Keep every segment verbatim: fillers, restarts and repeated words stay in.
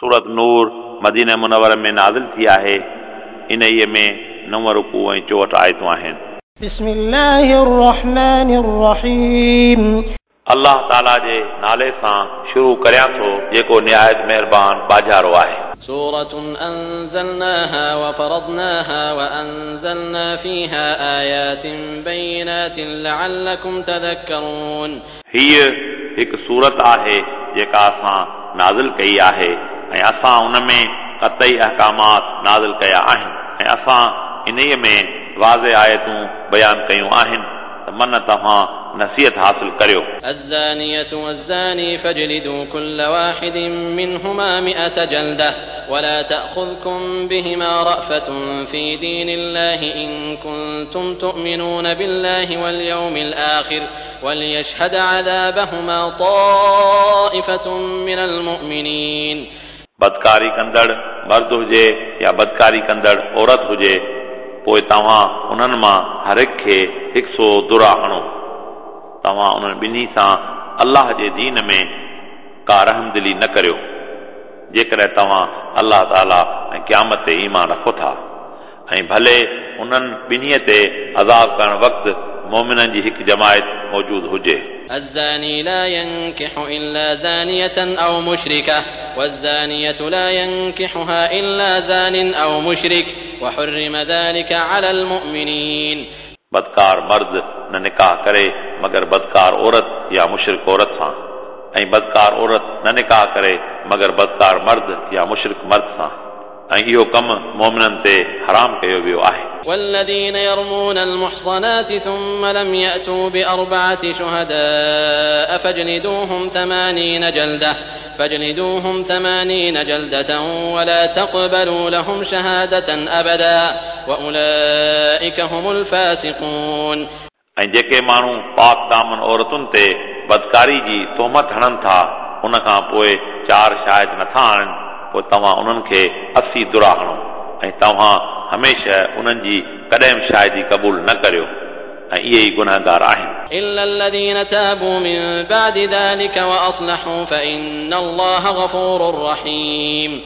सूरत नूर मदीना मुनव्वर में नाज़िल थी आहे। इन्हीअ में नव रुकू ऐं चोहठि आयतूं आहिनि। बिस्मिल्लाहिर रहमानिर रहीम। अल्लाह ताला जे नाले सां शुरू करियां थो जेको निहायत महिरबान बाजारो आहे। सूरत अंज़लनाहा वफरदनाहा वअंज़लना फीहा आयातिन बय्यिनातिन लअल्लकुम तज़क्करून। हीअ हिकु सूरत आहे जेका असां नाज़िल कई आहे ऐं असां उन में कतई अहकामात नाज़िल कया आहिनि ऐं असां इन्हीअ में वाज़े आयतूं बयान कयूं आहिनि त मन तव्हां नसीहत हासिल करियो। الزانية والزاني فاجلدوا كل واحد منهما مئة جلدة ولا تأخذكم بهما رأفة في دين الله إن كنتم تؤمنون بالله واليوم الآخر وليشهد عذابهما طائفة من المؤمنين। बदकारी कंदड़ मर्द हुजे या बदकारी कंदड़ औरत हुजे पोइ तव्हां उन्हनि मां हर हिक खे हिकु सौ दुरा हणो। तव्हां उन्हनि ॿिन्ही सां अल्लाह जे दीन में का रहमदिली न करियो जेकॾहिं तव्हां अल्लाह ताला ऐं क़यामत ते ईमान रखो था ऐं भले उन्हनि ॿिन्ही ते अज़ाब करण वक़्तु मोमिननि जी हिकु जमायत मौजूदु हुजे। الزاني لا ينكح إلا زانية أو مشركة والزانية لا ينكحها إلا زان أو مشرك وحرم ذلك على المؤمنين। बदकार मर्द न निकाह करे मगर बदकार औरत या मुशरिक औरत सां ऐं बदकार औरत न निकाह करे मगर बदकार मर्द या मुशरिक मर्द सां ऐं इहो कमु मोमिननि ते हराम कयो वियो आहे। والذين يرمون المحصنات ثم لم يأتوا بأربعة شهداء فاجلدوهم ثمانين جلدة فاجلدوهم ثمانين جلدة ولا تقبلوا لهم شهادة أبدا وأولئك هم الفاسقون। ऐं जेके माण्हू पाक दामन औरतुनि ते बदकारी जी तोहमत हणनि था उन खां पोइ चारि शाहिद नथा आणनि पोइ तव्हां उन्हनि खे असी दुरा हणो ऐं तव्हां हमेशह उन्हनि जी कॾहिं बि शाहिदी क़बूल न करियो ऐं इहे ई गुनहगार आहिनि। إلا الذين تابوا من بعد ذلك وأصلحوا فإن الله غفور رحيم।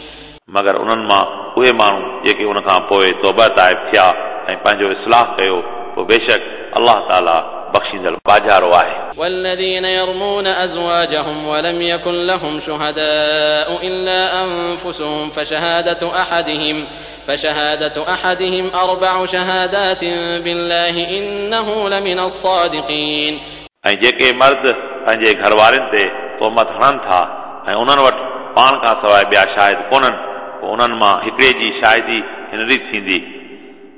मगर उन्हनि मां उहे माण्हू जेके उन खां पोइ तौबा ताइब थिया ऐं पंहिंजो इस्लाह कयो पोइ बेशक अल्लाह ताला बख़्शींदड़ बाजारो आहे। والذين يرمون أزواجهم ولم يكن لهم شهداء إلا أنفسهم فشهادة أحدهم فشهادة أحدهم أربع شهادات بالله إنه لمن الصادقين। ऐं जेके मर्द पंहिंजे घरवारनि ते तोहमत हणनि था ऐं उन्हनि वटि पाण खां सवाइ ॿिया शाहिद कोन्हनि पोइ उन्हनि मां हिकिड़े जी शाहिदी हिन रीति थींदी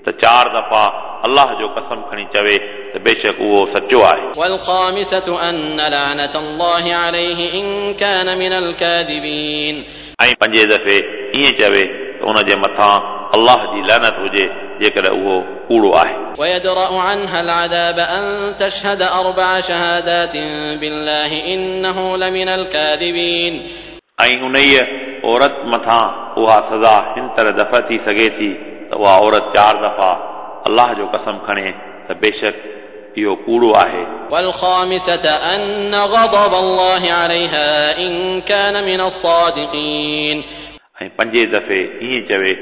त चारि दफ़ा अल्लाह जो कसम खणी चवे त बेशक उहो सचो आहे। والخامسة أن لعنة الله عليه إن كان من الكاذبين। ऐं पंजे दफ़े ईअं चवे त उन जे मथां अल्लाह जी लानत हुजे जेकॾहिं उहो कूड़ो आहे। ويدرأ عنها العذاب أن تشهد أربع شهادات بالله إنه لمن الكاذبين। ऐं उन्हीअ औरत मथां उहा सज़ा हिन तरह दफ़ा थी सघे थी त उहा औरत चारि दफ़ा अल्लाह जो कसम खणे त बेशक इहो कूड़ो आहे। والخامسة أن غضب الله عليها إن كان من الصادقين। ऐं पंजे दफ़े ईअं चवे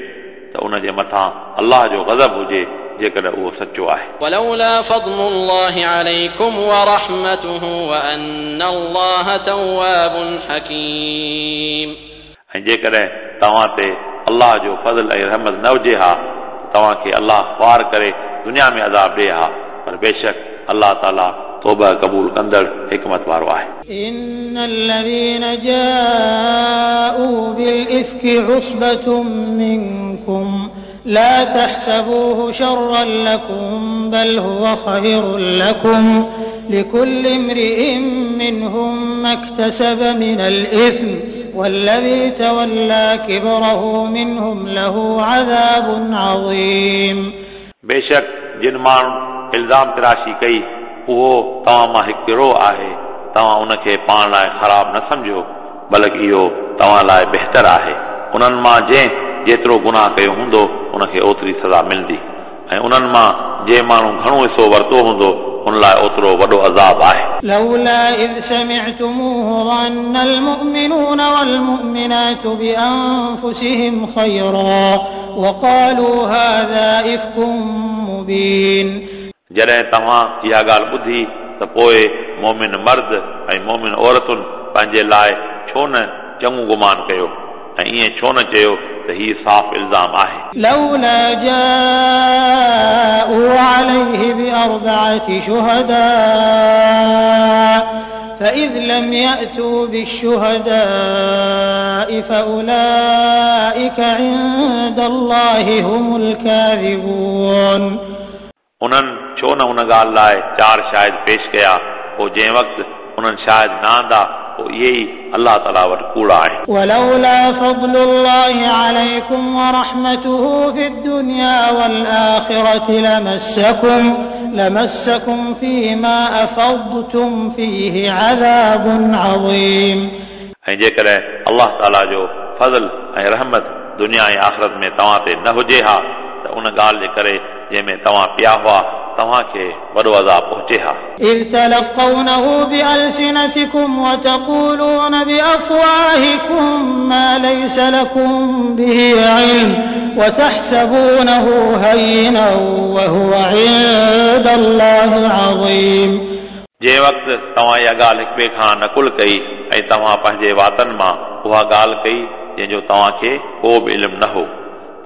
त उन जे मथां अल्लाह जो गज़ब हुजे जेकॾहिं उहो सचो आहे। ولولا فضل الله عليكم ورحمته وأن الله تواب حكيم। ऐं जेकॾहिं तव्हां ते अल्लाह जो फज़ल ऐं रहमत न हुजे हा त तव्हांखे अल्लाह ख़्वार करे दुनिया में अज़ाब ॾिए हा पर बेशक अल्लाह ताला तौबा क़बूल कंदड़ हिकमत वारो आहे। إن الذين جاءوا بالإفك عصبة منكم لا تحسبوه شرا لكم بل هو خير لكم لكل امرئ منهم ما اكتسب من الإثم والذي تولى كبره منهم له عذاب عظيم। बेशक जिन माण्हुनि इल्ज़ाम तराशी कई उहो तव्हां मां हिकु गिरोह आहे तव्हां उनखे पाण लाइ ख़राब न सम्झो बल्कि इहो तव्हां लाइ बहितर आहे। उन्हनि मां जंहिं जेतिरो गुनाह कयो हूंदो उनखे ओतिरी सज़ा मिलंदी ऐं उन्हनि मां जंहिं माण्हू घणो हिसो वरितो हूंदो उन लाइ ओतिरो वॾो अज़ाब आहे। لولا إذ سمعتموه ظن المؤمنون والمؤمنات بأنفسهم خيرا وقالوا هذا إفك مبين। जॾहिं तव्हां इहा ॻाल्हि ॿुधी त पोइ मोमिन मर्द ऐं मोमिन औरतुनि पंहिंजे लाइ छो न चङो गुमान कयो ऐं ईअं छो न चयो त हीउ साफ़ इल्ज़ाम आहे। لولا جاءوا عليه بأربعة شهداء فإذ لم يأتوا بالشهداء فأولئك عند الله هم الكاذبون। उन्हनि छो न उन ॻाल्हि लाइ चारि शाहिद पेश कया, पोइ जंहिं वक़्तु उन्हनि शाहिद न आंदा पोइ इहे ई अलाह ताला वटि कूड़ा आहिनि। ولولا فضل الله عليكم ورحمته في الدنيا والآخرة لمسكم لمسكم فيما أفضتم فيه عذاب عظيم। ऐं जेकॾहिं अलाह ताला जो फज़ल ऐं रहमत दुनिया ऐं आख़िरत में तव्हां ते न हुजे हा त उन ॻाल्हि जे करे जंहिंमें तव्हां पिया हुआ तव्हांखे वॾो अज़ाब पहुचे हा। إذ تلقونه بألسنتكم وتقولون بأفواهكم ما ليس لكم به علم وتحسبونه هينا وهو عند الله عظيم। जंहिं वक़्तु तव्हां इहा ॻाल्हि हिक ॿिए खां नकुल कई ऐं तव्हां पंहिंजे वातनि मां उहा ॻाल्हि कई जंहिंजो तव्हांखे को बि इल्मु न हो,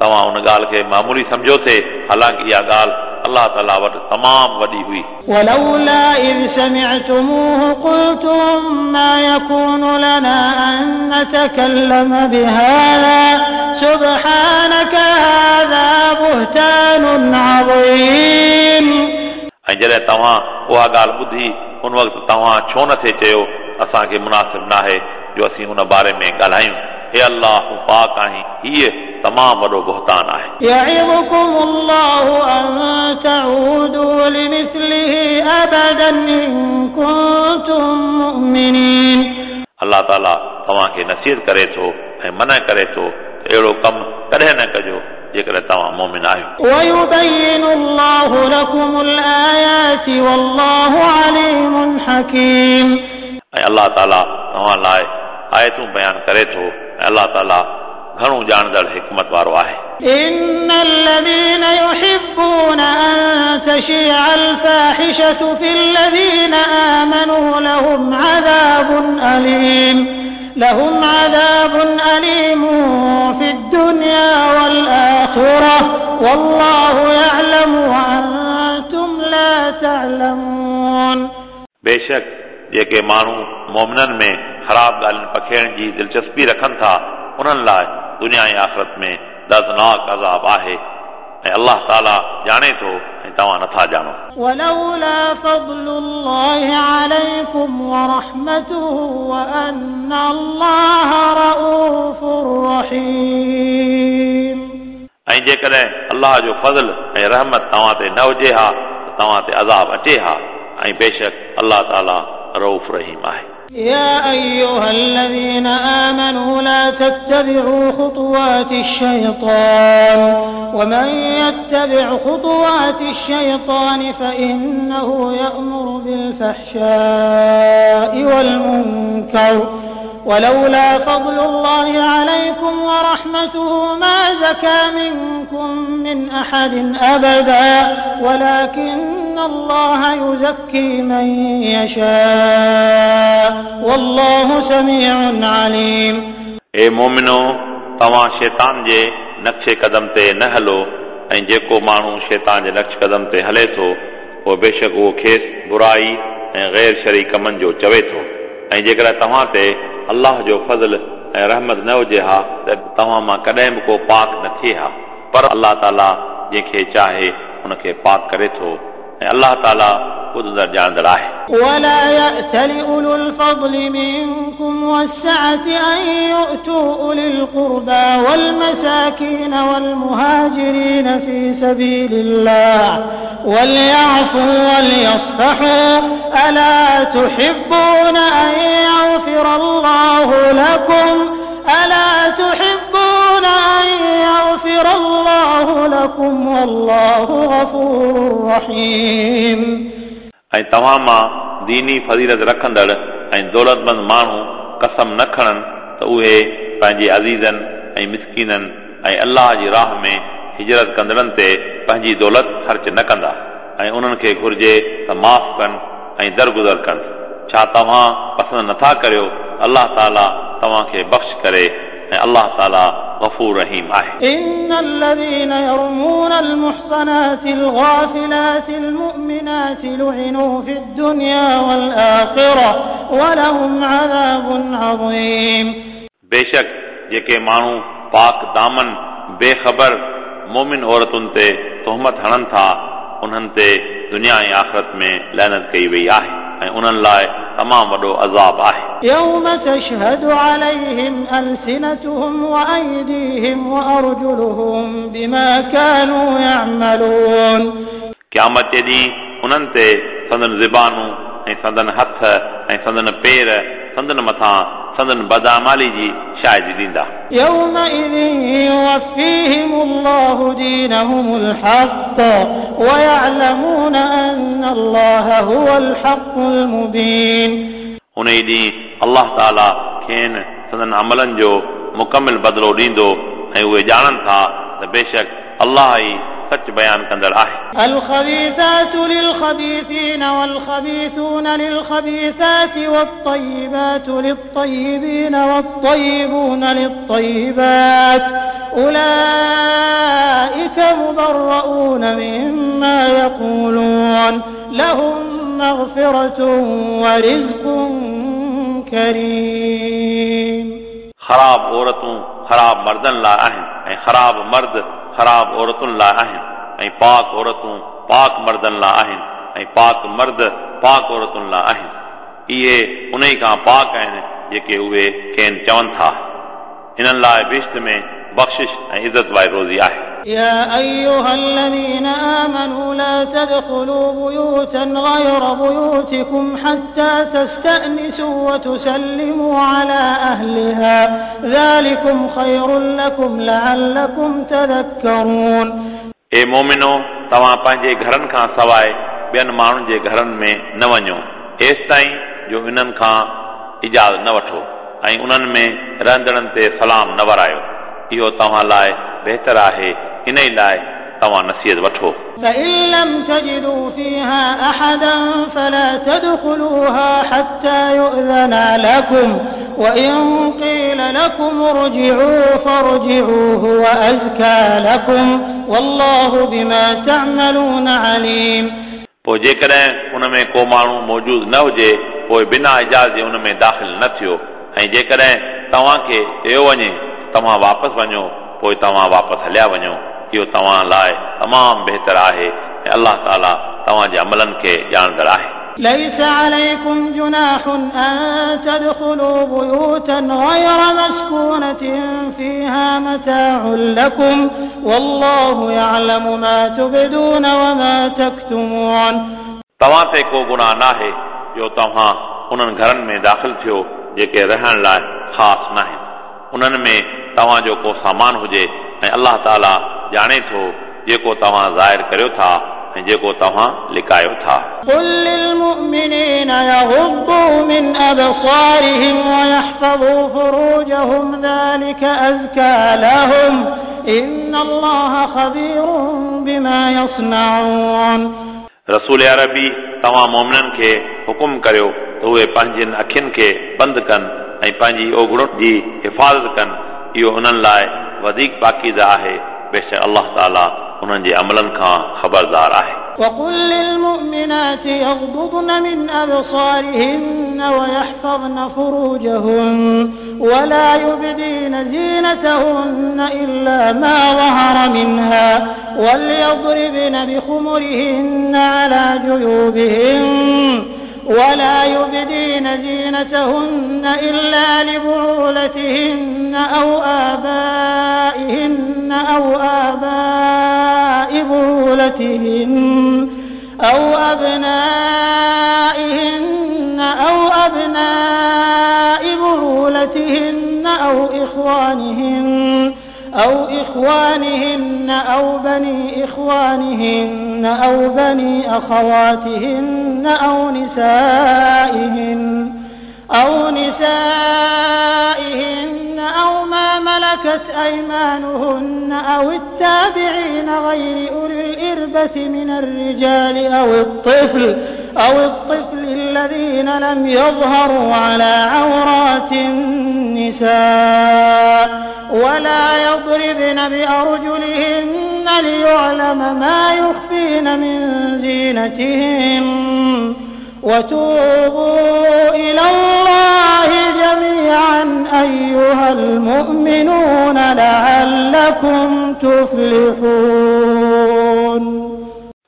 तव्हां उन ॻाल्हि खे मामूली सम्झो थे, हालांकि इहा ॻाल्हि अलाह ताला वटि तमामु वॾी हुई। ولولا إذ سمعتموه قلتم ما يكون لنا أن نتكلم بهذا سبحانك هذا بهتان عظيم। ऐं जॾहिं तव्हां उहा ॻाल्हि ॿुधी उन वक़्तु तव्हां छो नथे चयो असांखे मुनासिब नाहे जो असीं उन बारे में ॻाल्हायूं, हे अलाह तूं पाक आहीं, हीअ तमामु वॾो बहतान आहे। يعظكم الله أن تعودوا لمثله أبدا إن كنتم مؤمنين। अलाह ताला तव्हांखे नसीहत करे थो ऐं मना करे थो त अहिड़ो कमु कॾहिं न कजो जेकॾहिं तव्हां मोमिन आहियो। ويبين الله لكم الآيات والله عليم حكيم। ऐं अलाह ताला तव्हां लाइ आयतूं बयानु करे थो ऐं अलाह ताला घणो ॼाणंदड़ हिकमत वारो आहे। إن الذين يحبون أن تشيع الفاحشة في الذين آمنوا لهم عذاب أليم لهم عذاب أليم في الدنيا والآخرة والله يعلم وأنتم لا تعلمون। बेशक जेके माण्हू मोमिननि में ख़राब ॻाल्हियुनि पखेड़ण जी दिलचस्पी रखनि था उन्हनि लाइ दुनिया ऐं आख़िरत में दर्दनाक अज़ाब आहे ऐं अलाह ताला ॼाणे थो ऐं तव्हां नथा ॼाणो। ولولا فضل الله عليكم ورحمته وأن الله رؤوف رحيم। ऐं जेकॾहिं अलाह जो फज़ल ऐं रहमत तव्हां ते न हुजे हा त तव्हां ते अज़ाब अचे हा ऐं बेशक अलाह ताला रऊफ़ रहीम आहे। يا أيها الذين آمنوا لا تتبعوا خطوات الشيطان ومن يتبع خطوات الشيطان فإنه يأمر بالفحشاء والمنكر ولولا فضل الله عليكم ورحمته ما زكى منكم من أحد أبدا ولكن الله يزكي من يشاء والله سميع عليم। ए मोमिनो, तव्हां शैतान जे नक्शे कदम ते न हलो ऐं जेको माण्हू शैतान जे नक्श कदम ते हले थो पोइ बेशक उहो खेसि बुराई ऐं गैर शरी कमनि जो चवे थो। ऐं जेकॾहिं तव्हां ते अलाह जो फज़ल ऐं रहमत न हुजे हा त तव्हां मां कॾहिं बि को पाक न थिए हा, पर अलाह ताला जंहिंखे चाहे उनखे पाक करे थो ऐं अलाह ताला ॿुधंदड़ ॼाणंदड़ आहे। ولا يأتل أولو الفضل منكم والسعة أن يؤتوا أولي القربى والمساكين والمهاجرين في سبيل الله وليعفوا وليصفحوا ألا تحبون أن يغفر الله لكم ألا تحبون أن يغفر الله لكم والله غفور رحيم. ऐं तव्हां मां दीनी फ़ज़ीलत रखंदड़ ऐं दौलतमंद माण्हू कसम न खणनि त उहे पंहिंजे अज़ीज़नि ऐं मिसकीननि ऐं अल्लाह जी राह में हिजरत कंदड़नि ते पंहिंजी दौलत ख़र्च न कंदा ऐं उन्हनि खे घुर्जे त माफ़ कनि ऐं दरगुज़र कनि। छा तव्हां पसंदि नथा करियो अल्लाह ताला तव्हांखे बख़्श करे ऐं अल्लाह ताला गफ़ूर रहीम आहे। إن الذين يرمون المحصنات الغافلات المؤمنات لعنوا في الدنيا والآخرة ولهم عذاب عظيم। बेशक जेके माण्हू पाक दामन बेख़बर मोमिन औरतुनि ते तोहमत हणनि था उन्हनि ते दुनिया ऐं आख़िरत में लानत कई वई आहे ऐं उन्हनि लाइ तमामु वॾो अज़ाब आहे। يوم تشهد عليهم ألسنتهم وأيديهم وأرجلهم بما كانوا يعملون। क़यामत जे ॾींहुं उन्हनि ते संदन ज़बानूं ऐं संदन हथ ऐं संदन पेर संदन मथां संदन बदामाली जी शाहिदी ॾींदा। يومئذ يوفيهم الله دينهم الحق ويعلمون أن الله هو الحق المبين। उन ई ॾींहुं अल्लाह ताला खेनि संदन अमलनि जो मुकमिल बदिलो ॾींदो ऐं उहे ॼाणनि था त बेशक अल्लाह ई सच बयान कंदड़ आहे। الخبيثات للخبيثين والخبيثون للخبيثات والطيبات للطيبين والطيبون للطيبات أولئك مبرؤون مما يقولون لهم مغفرة ورزق كريم। ख़राब औरतूं ख़राब मर्दनि लाइ आहिनि ऐं ख़राब मर्द ख़राब औरतुनि लाइ आहिनि ऐं पाक औरतूं पाक मर्दनि लाइ आहिनि ऐं पाक मर्द पाक औरतुनि लाइ आहिनि। इहे उन खां पाक आहिनि जेके उहे खेनि चवनि था। हिननि लाइ बिश्त में बख़्शिश ऐं इज़त वारी रोज़ी आहे। يا أيها الذين آمنوا لا تدخلوا بيوتا غير بيوتكم حتى تستأنسوا وتسلموا على أهلها ذلكم خير لكم لعلكم تذكرون। ए मोमिनो, तव्हां पंहिंजे घरनि खां सवाइ ॿियनि माण्हुनि जे घरनि में न वञो एसि ताईं जो इन्हनि खां इजाज़त न वठो ऐं उन्हनि में रहंदड़नि ते सलाम न वरायो। इहो तव्हां लाइ बहितर आहे, इन ई लाइ तव्हां नसीहत वठो। فإن لم تجدوا فيها أحدا فلا تدخلوها حتى يؤذن لكم وإن قيل لكم ارجعوا فارجعوا هو أزكى لكم والله بما تعملون عليم। पोइ जेकॾहिं उन में को माण्हू मौजूदु न हुजे पोइ बिना इजाज़त जे उन में दाख़िल न थियो ऐं जेकॾहिं तव्हांखे चयो वञे तव्हां वापसि वञो पोइ तव्हां वापसि हलिया वञो। इहो तव्हां लाइ तमामु बहितर आहे ऐं अल्लाह ताला तव्हांजे अमलनि खे ॼाणंदड़ आहे। ليس عليكم جناح أن تدخلوا بيوتا غير مسكونة فيها متاع لكم والله يعلم ما تبدون وما تكتمون। तव्हां ते को गुनाह नाहे जो तव्हां उन्हनि घरनि में दाख़िल थियो जेके रहण लाइ ख़ासि नाहिनि, उन्हनि में तव्हांजो को सामान हुजे ऐं अल्लाह ताला ॼाणे थो जेको तव्हां ज़ाहिर करियो था ऐं जेको तव्हां लिकायो था। قل للمؤمنين يغضوا من أبصارهم ويحفظوا فروجهم ذلك أزكى لهم إن الله خبير بما يصنعون। रसूल अरबी, तव्हां मोमिननि खे हुकुम करियो त उहे पंहिंजनि अखियुनि खे बंदि कनि ऐं पंहिंजी ओगड़ुनि जी हिफ़ाज़त कनि। इहो उन्हनि लाइ वधीक पाकीज़ा आहे। बेशक अल्लाह ताला उन्हनि जे अमलनि खां ख़बरदार आहे। وقل للمؤمنات يغضضن من أبصارهن ويحفظن فروجهن ولا يبدين زينتهن إلا ما ظهر منها وليضربن بخمرهن على جيوبهن ولا يبدين زينتهن إلا لبعولتهن أو آبائهن أو آباء بعولتهن أو أبنائهن أو أبناء بعولتهن أو إخوانهن أو إخوانهن أو بني إخوانهن أو بني أخواتهن أو نسائهن أو نسائهن أو ما ملكت أيمانهن أو التابعين غير أولي الإربة من الرجال أو الطفل أو الطفل الذين لم يظهروا على عورات النساء ولا يضربن بأرجلهن ليعلم ما يخفين من زينتهن وتوبوا إلى الله جميعا أيها المؤمنون لعلكم تفلحون.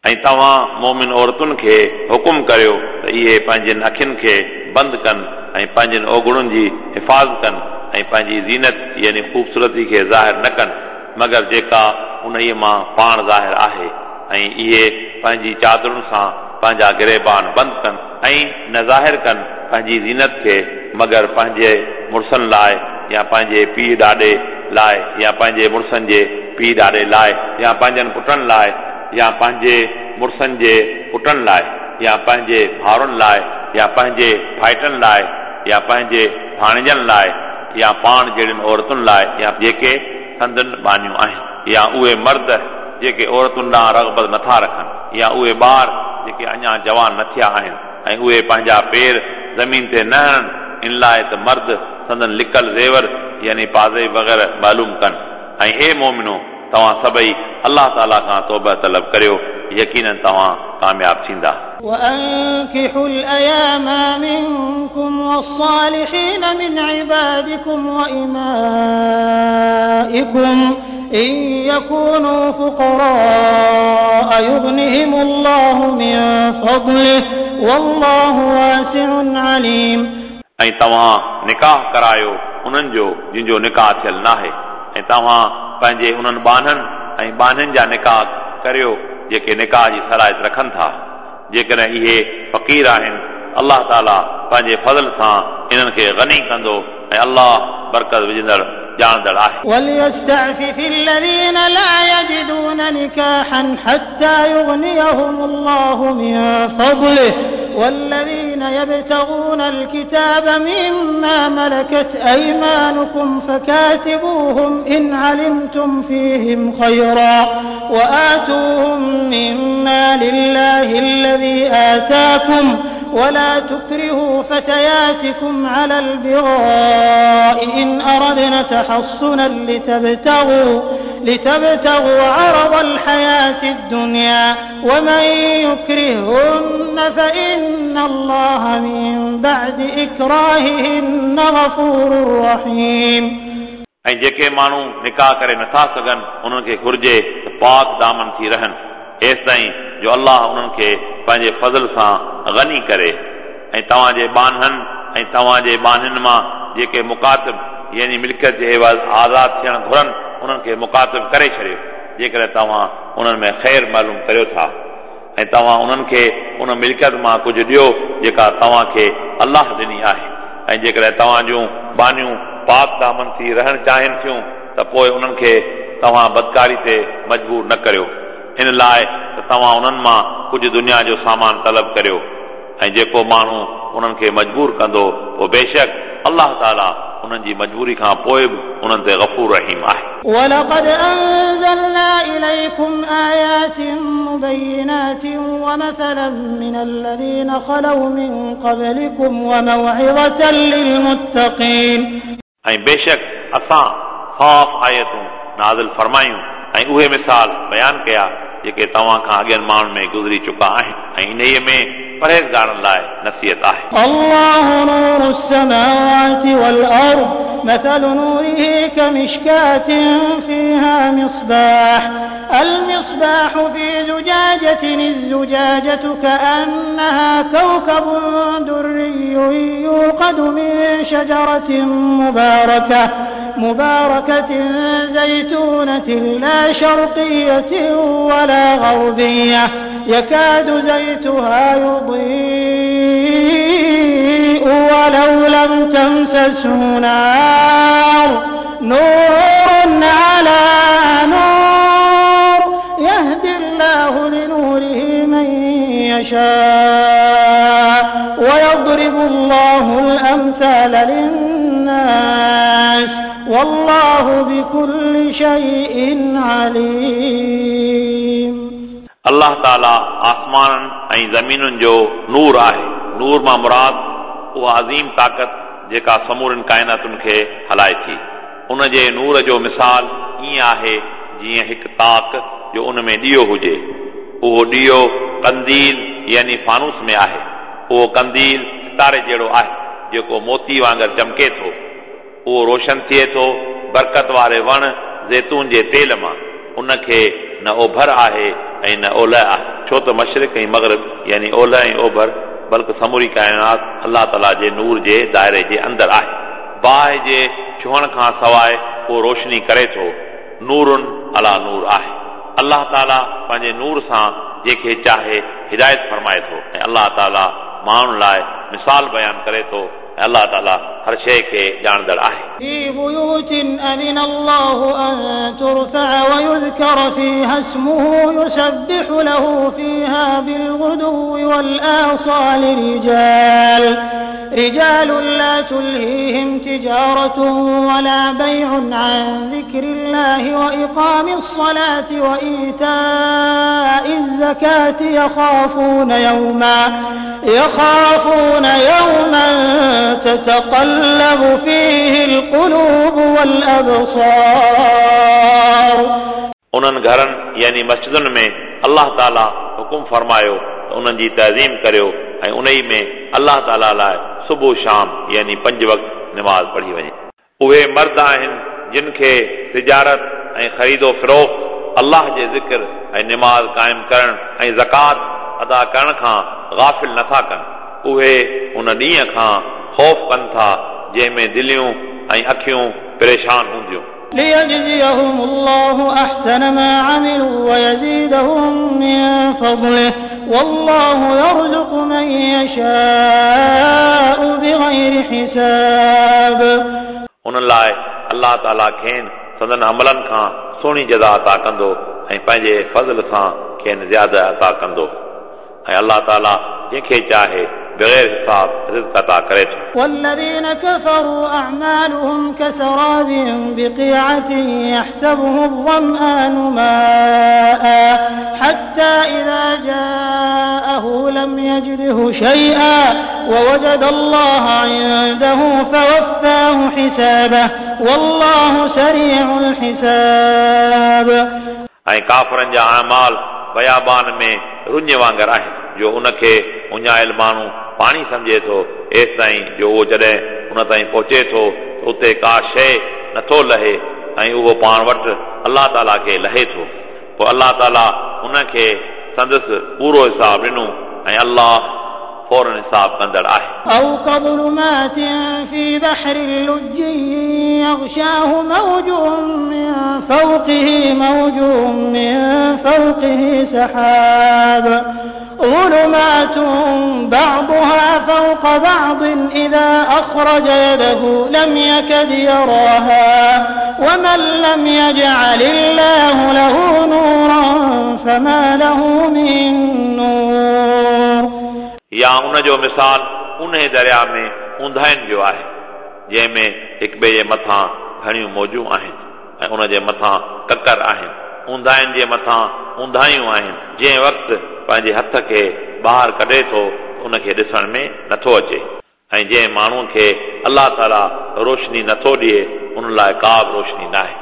ऐं तव्हां मोमिन औरतुनि खे हुकुम करियो त इहे पंहिंजनि अखियुनि खे बंदि कनि ऐं पंहिंजनि ओगुणुनि जी हिफाज़त कनि ऐं पंहिंजी ज़ीनत यानी ख़ूबसूरती खे ज़ाहिर न कनि मगर जेका उन मां पाण ज़ाहिर आहे ऐं इहे पंहिंजी चादरुनि सां पंहिंजा गिरेबान बंदि कनि ऐं न ज़ाहिर कनि पंहिंजी ज़ीनत खे मगर पंहिंजे मुड़ुसनि लाइ या पंहिंजे पीउ ॾाॾे लाइ या पंहिंजे मुड़ुसनि जे पीउ ॾाॾे लाइ या पंहिंजनि पुटनि लाइ या पंहिंजे मुड़ुसनि जे पुटनि लाइ या पंहिंजे भाउरनि लाइ या पंहिंजे भाइटनि लाइ या पंहिंजे भाणेजनि लाइ या पाण जहिड़ियुनि औरतुनि लाइ या जेके संदन बानियूं आहिनि या उहे मर्द जेके औरतुनि ॾांहुं रग़बत नथा रखनि या उहे ॿार जेके अञा जवान न थिया आहिनि ऐं उहे पंहिंजा पेर ज़मीन ते न हणनि इन लाइ त मर्द संदन लिकल ज़ेवर यानी पाज़े वग़ैरह मालूम कनि। ऐं हे मोमिनो, तव्हां सभई अलाह ताला खां तौबा तलब करियो, यकीनन तव्हां कामयाब थींदा। وأنكحوا الأيام منكم والصالحين من عبادكم وإمائكم إن يكونوا فقراء يغنهم الله من فضله والله واسع عليم. ऐं तव्हां निकाह करायो उन्हनि जो जिन जो निकाह थियल नाहे ऐं तव्हां पंहिंजे उन्हनि ॿान्हनि ऐं ॿान्हनि जा निकाह करियो जेके निकाह जी सलाहियत रखनि था। जेकॾहिं इहे फ़क़ीर आहिनि, अलाह ताला पंहिंजे फ़ज़ल सां इन्हनि खे गनी कंदो ऐं अलाह बरकत विझंदड़ ॼाणंदड़ आहे। وليستعفف الذين لا يجدون نكاحا حتى يغنيهم الله من فضله والذين يبتغون الكتاب مما ملكت أيمانكم فكاتبوهم إن علمتم فيهم خيرا وآتوهم مما لله الذي آتاكم ولا تكرهوا فتياتكم على البغاء إن أردنا تحصنا لتبتغوا, لتبتغوا عرض الحياة الدنيا ومن يكرهن فإن الله من بعد إكراههن غفور رحيم. ऐं जेके माण्हू निकाह करे नथा सघनि उन्हनि खे घुर्जे त पाक दामन थी रहनि एसि ताईं जो अलाह उन्हनि खे पंहिंजे फ़ज़ल सां गनी करे। ऐं तव्हांजे ॿान्हनि ऐं तव्हांजे ॿान्हनि मां जेके मुकातिब यानी मिल्कियत जे एवज़ आज़ाद थियणु घुरनि उन्हनि खे मुकातिब करे छॾियो जेकॾहिं तव्हां उन्हनि में ख़ैर मालूम करियो था ऐं तव्हां उन्हनि खे उन मिल्कियत मां कुझु ॾियो जेका तव्हांखे अलाह ॾिनी आहे। ऐं जेकॾहिं तव्हांजूं ॿान्हियूं पाक दामन थी रहणु चाहिनि थियूं त पोइ उन्हनि खे तव्हां बदकारी ते मजबूर न करियो इन लाइ त तव्हां उन्हनि मां कुझु दुनिया जो सामान तलब करियो। ऐं जेको माण्हू उन्हनि खे मजबूर कंदो पोइ बेशक अलाह ताला उन्हनि जी मजबूरी खां पोइ बि उन्हनि ते गफ़ूर रहीम आहे। ولقد أنزلنا إليكم آيات مبينات ومثلا من الذين خلوا من قبلكم وموعظة للمتقين. ऐं बेशक असां साफ़ आयतूं नाज़िल फरमायूं ऐं उहे मिसाल बयान कया जेके तव्हां खां अॻियनि माण्हुनि में गुज़री चुका आहिनि ऐं इन्हीअ में परहेज़गारनि लाइ नसीहत आहे। الله نور السماوات والأرض مثل نوره كمشكاة فيها مصباح المصباح في زجاجة الزجاجة كأنها كوكب دري يوقد من شجرة مباركة مباركة زيتونة لا شرقية ولا غربية يكاد زيتها يضيء ولو لم تمسسه نار نور على يشاء ويضرب الله الأمثال للناس والله بكل شيء عليم. الله تعالى آسمانن ऐं ज़मीनुनि जो नूर आहे। नूर मां मुराद उहा अज़ीम ताक़त जेका समूरनि काइनातुनि खे हलाए थी। उन जे नूर जो मिसाल ईअं आहे जीअं हिकु ताक जो उन में ॾियो हुजे। उहो ॾियो कंदील यानी फानूस में आहे। उहो कंदील सितारे जहिड़ो आहे जेको मोती वांगुरु चमके थो। उहो रोशन थिए थो बरकत वारे वण ज़ैतून जे तेल मां। उनखे न ओभर आहे ऐं न ओलह आहे, छो त मशरिक ऐं मग़रिब यानी ओलह ऐं ओभर बल्कि समूरी काइनात अलाह ताला जे नूर जे दायरे जे अंदरि आहे। बाहि जे छुहण खां सवाइ उहो रोशनी करे थो। नूरुन अला नूर आहे। अलाह ताला पंहिंजे नूर सां जंहिंखे चाहे हिदायत फरमाए थो ऐं अलाह ताला माण्हुनि लाइ मिसाल बयानु करे थो ऐं अलाह ताला हर शइ खे ॼाणंदड़ आहे। في بيوت أذن الله أن ترفع ويذكر فيها اسمه يسبح له فيها بالغدو والآصال رجال رجال لا تلهيهم تجارة ولا بيع عن ذكر الله وإقام الصلاة وإيتاء الزكاة يخافون يوما يخافون يوما تتقلب فيه القلوب والأبصار. उन्हनि घरनि यानी मस्जिदुनि में अलाह ताला हुकुम फरमायो त उन्हनि जी तज़ीम करियो ऐं उन ई में अलाह ताला लाइ सुबुह शाम यानी पंज वक़्त नमाज़ पढ़ी वञे। उहे मर्द आहिनि जिन खे तिजारत ऐं ख़रीदो फ़रोख़्त अलाह जे ज़िक्र ऐं नमाज़ क़ाइमु करण ऐं ज़कात अदा करण खां गाफ़िल नथा कनि। उहे उन ॾींहं खां ख़ौफ़ कनि था जंहिंमें दिलियूं ऐं अखियूं परेशान हूंदियूं। ليجزيهم الله أحسن ما عملوا ويزيدهم من فضله والله يرزق من يشاء بغير حساب. उन लाइ अलाह ताला खेनि संदन अमलनि खां सुहिणी जज़ा अता कंदो ऐं पंहिंजे फज़ल सां खेनि ज़्यादा अता कंदो ऐं अलाह ताला जंहिंखे चाहे बग़ैर हिसाब रिज़्क अता करे थो। والذين كفروا أعمالهم كسراب بقيعة يحسبه الظمآن ماء حتى إذا جاءه لم يجده شيئا ووجد الله عنده فوفاه حسابه والله سريع الحساب. ऐं काफ़रनि जा आमाल बयाबान में रुञ वांगुरु आहिनि जो उनखे उञायल माण्हू पाणी सम्झे थो, एसि ताईं जो उहो जॾहिं उन ताईं पहुचे थो त उते का शइ नथो लहे ऐं उहो पाण वटि अलाह ताला खे लहे थो। पोइ अलाह ताला उनखे संदसि पूरो हिसाब ॾिनो ऐं अलाह फ़ौरन हिसाब कंदड़ आहे। أو كظلمات في بحر لجي يغشاه موج من فوقه موج من فوقه سحاب ظلمات بعضها فوق بعض إذا أخرج يده لم يكد يراها ومن لم يجعل الله له نورا فما له من نور. या उन जो मिसाल उन दरिया में ऊंधाइनि जो आहे जंहिंमें हिक ॿिए जे मथां घणियूं मौजूं आहिनि ऐं उन जे मथां ककर आहिनि। ऊंधाइनि जे मथां ऊंधाइयूं आहिनि। जंहिं वक़्तु पंहिंजे हथ खे ॿाहिरि कढे थो उनखे ॾिसण में नथो अचे ऐं जंहिं माण्हूअ खे अलाह ताला रोशनी नथो ॾिए उन लाइ का बि रोशनी न आहे।